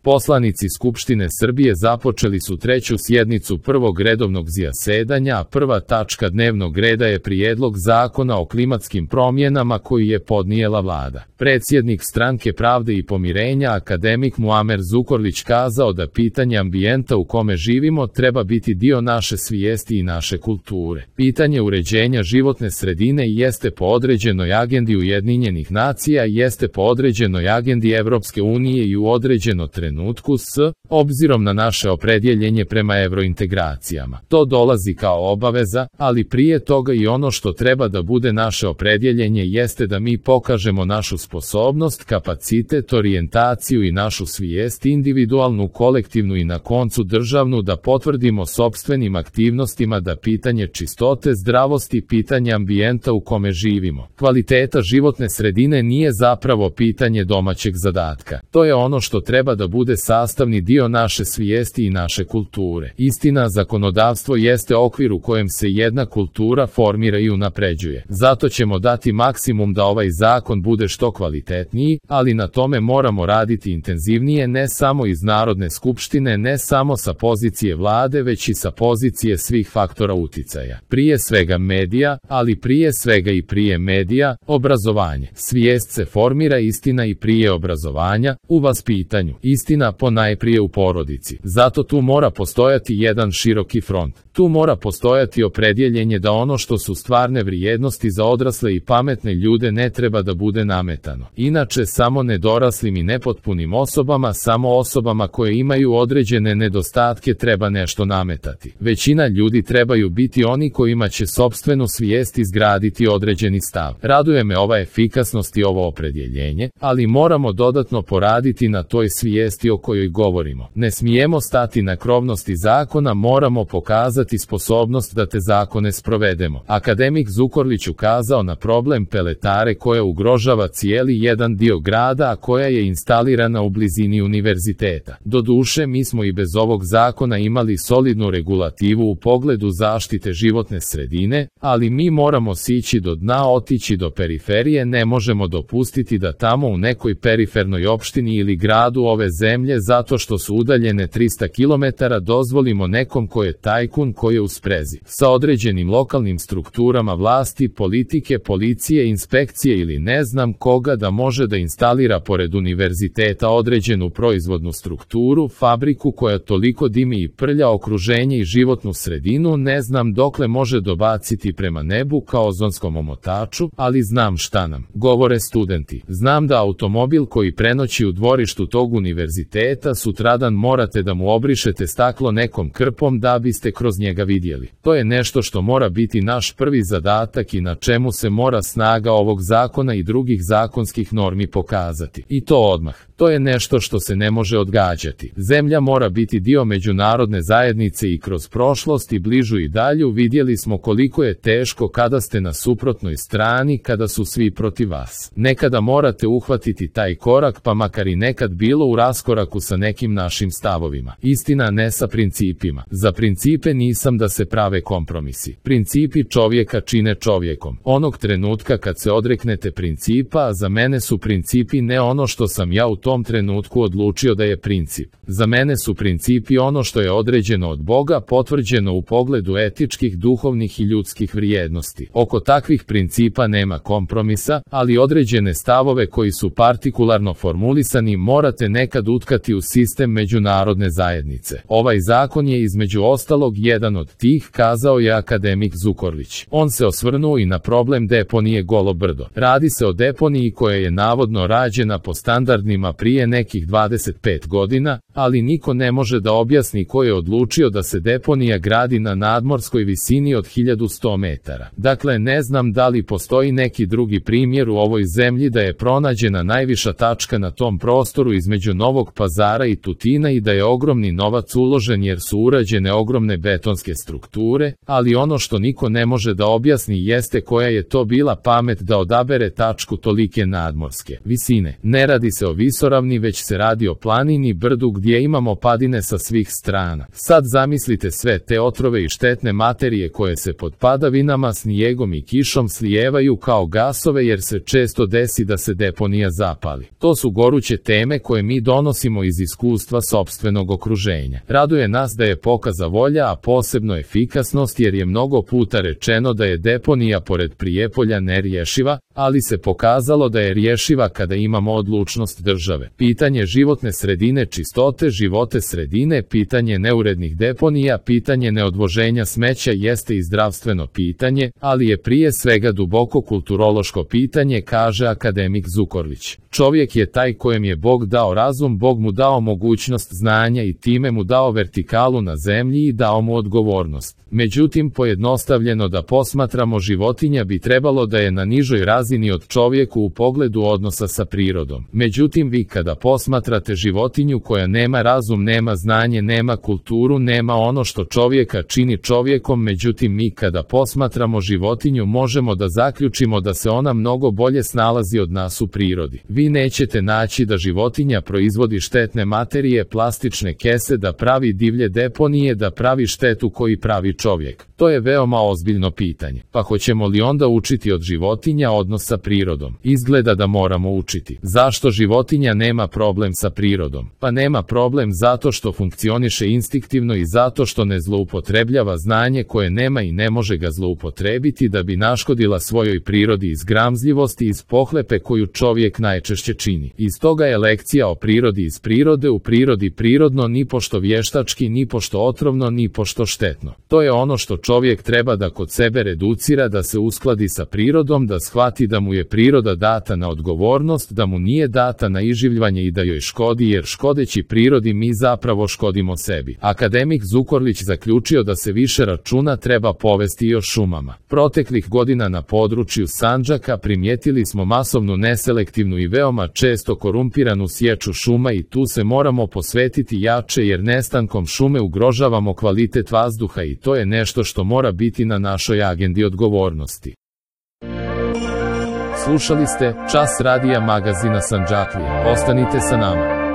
Poslanici Skupštine Srbije započeli su treću sjednicu prvog redovnog zasedanja, a prva tačka dnevnog reda je Prijedlog zakona o klimatskim promjenama koji je podnijela vlada. Predsjednik Stranke pravde i pomirenja akademik Muamer Zukorlić kazao da pitanje ambijenta u kome živimo treba biti dio naše svijesti i naše kulture. Pitanje uređenja životne sredine jeste po određenoj agendi Ujedinjenih nacija, jeste po određenoj agendi Evropske unije i u određeno trenutku obzirom na naše opredjeljenje prema evrointegracijama. To dolazi kao obaveza, ali prije toga i ono što treba da bude naše opredjeljenje jeste da mi pokažemo našu sposobnost, kapacitet, orijentaciju i našu svijest, individualnu, kolektivnu i na koncu državnu, da potvrdimo sopstvenim aktivnostima da pitanje čistote, zdravosti, pitanje ambijenta u kome živimo, kvaliteta životne sredine nije zapravo pitanje domaćeg zadatka. To je ono što treba da bude sastavni dio naše svijesti i naše kulture. Istina, zakonodavstvo jeste okvir u kojem se jedna kultura formira i unapređuje. Zato ćemo dati maksimum da ovaj zakon bude što kvalitetniji, ali na tome moramo raditi intenzivnije, ne samo iz Narodne skupštine, ne samo sa pozicije vlade, već i sa pozicije svih faktora uticaja. Prije svega medija, ali prije svega i prije medija, obrazovanje. Svijest se formira, istina, i prije obrazovanja, u vaspitanju. Istina ponajprije u porodici. Zato tu mora postojati jedan široki front. Tu mora postojati opredjeljenje da ono što su stvarne vrijednosti za odrasle i pametne ljude ne treba da bude nametano. Inače, samo nedoraslim i nepotpunim osobama, samo osobama koje imaju određene nedostatke treba nešto nametati. Većina ljudi trebaju biti oni kojima će sopstvenu svijest izgraditi određeni stav. Raduje me ova efikasnost i ovo opredjeljenje, ali moramo dodatno poraditi na toj svijesti o kojoj govorimo. Ne smijemo stati na krovnosti zakona, moramo pokazati sposobnost da te zakone sprovedemo. Akademik Zukorlić ukazao na problem peletare koja ugrožava cijeli jedan dio grada, a koja je instalirana u blizini univerziteta. Doduše, mi smo i bez ovog zakona imali solidnu regulativu u pogledu zaštite životne sredine, ali mi moramo sići do dna, otići do periferije, ne možemo dopustiti da tamo u nekoj perifernoj opštini ili gradu ove zemlje, zato što su udaljene 300 km, dozvolimo nekom ko je tajkun, ko je u sprezi sa određenim lokalnim strukturama vlasti, politike, policije, inspekcije ili ne znam koga da može da instalira pored univerziteta određenu proizvodnu strukturu, fabriku koja toliko dimi i prlja okruženje i životnu sredinu, ne znam dokle može dobaciti prema nebu kao ozonskom omotaču, ali znam šta nam govore studenti. Znam da automobil koji prenoći u dvorištu tog univerziteta sutradan morate da mu obrišete staklo nekom krpom da biste kroz njega vidjeli. To je nešto što mora biti naš prvi zadatak i na čemu se mora snaga ovog zakona i drugih zakonskih normi pokazati. I to odmah. To je nešto što se ne može odgađati. Zemlja mora biti dio međunarodne zajednice i kroz prošlost i bližu i dalju vidjeli smo koliko je teško kada ste na suprotnoj strani, kada su svi protiv vas. Nekada morate uhvatiti taj korak, pa makar i nekad bilo u raskoraku sa nekim našim stavovima. Istina, ne sa principima. Za principe nisam da se prave kompromisi. Principi čovjeka čine čovjekom. Onog trenutka kad se odreknete principa, za mene su principi ne ono što sam ja u tom trenutku odlučio da je princip. Za mene su principi ono što je određeno od Boga, potvrđeno u pogledu etičkih, duhovnih i ljudskih vrijednosti. Oko takvih principa nema kompromisa, ali određene stavove koji su partikularno formulisani morate nekad utkati u sistem međunarodne zajednice. Ovaj zakon je između ostalog jedan od tih, kazao je akademik Zukorlić. On se osvrnuo i na problem deponije Golo brdo. Radi se o deponiji koja je navodno rađena po standardima prije nekih 25 godina, ali niko ne može da objasni ko je odlučio da se deponija gradi na nadmorskoj visini od 1100 metara. Dakle, ne znam da li postoji neki drugi primjer u ovoj zemlji da je pronađena najviša tačka na tom prostoru između Novog Pazara i Tutina i da je ogromni novac uložen jer su urađene ogromne betonske strukture, ali ono što niko ne može da objasni jeste koja je to bila pamet da odabere tačku tolike nadmorske visine. Ne radi se o visokom visoravni, već se radi o planini, brdu gdje imamo padine sa svih strana. Sad zamislite sve te otrove i štetne materije koje se pod padavinama, snijegom i kišom slijevaju kao gasove, jer se često desi da se deponija zapali. To su goruće teme koje mi donosimo iz iskustva sopstvenog okruženja. Raduje nas da je pokaza volja, a posebno efikasnost, jer je mnogo puta rečeno da je deponija pored Prijepolja nerješiva, ali se pokazalo da je rješiva kada imamo odlučnost države. Pitanje životne sredine, čistote životne sredine, pitanje neurednih deponija, pitanje neodvoženja smeća jeste i zdravstveno pitanje, ali je prije svega duboko kulturološko pitanje, kaže akademik Zukorlić. Čovjek je taj kojem je Bog dao razum, Bog mu dao mogućnost znanja i time mu dao vertikalu na zemlji i dao mu odgovornost. Međutim, pojednostavljeno da posmatramo, životinja bi trebalo da je na nižoj razini od čovjeku u pogledu odnosa sa prirodom. Međutim, vi kada posmatrate životinju koja nema razum, nema znanje, nema kulturu, nema ono što čovjeka čini čovjekom, međutim mi kada posmatramo životinju možemo da zaključimo da se ona mnogo bolje snalazi od nas u prirodi. Vi nećete naći da životinja proizvodi štetne materije, plastične kese, da pravi divlje deponije, da pravi štetu koji pravi čovjek. To je veoma ozbiljno pitanje. Pa hoćemo li onda učiti od životinja odnos sa prirodom? Izgleda da moramo učiti. Zašto životinja nema problem sa prirodom? Pa nema problem zato što funkcioniše instinktivno i zato što ne zloupotrebljava znanje koje nema i ne može ga zloupotrebiti da bi naškodila svojoj prirodi iz gramzljivosti, iz pohlepe koju čovjek najčešće čini. Iz toga je lekcija o prirodi iz prirode, u prirodi prirodno, ni pošto vještački, ni pošto otrovno, ni pošto štetno. To je ono što čovjek treba da kod sebe reducira, da se uskladi sa prirodom, da shvati da mu je priroda data na odgovornost, da mu nije data na iživljavanje i da joj škodi, jer škodeći prirodi mi zapravo škodimo sebi. Akademik Zukorlić zaključio da se više računa treba povesti i o šumama. Proteklih godina na području Sandžaka primijetili smo masovnu, neselektivnu i veoma često korumpiranu sječu šuma i tu se moramo posvetiti jače, jer nestankom šume ugrožavamo kvalitet vazduha i to je nešto što mora biti na našoj agendi odgovornosti. Slušali ste Čas radija magazina Sandžaklije. Ostanite sa nama.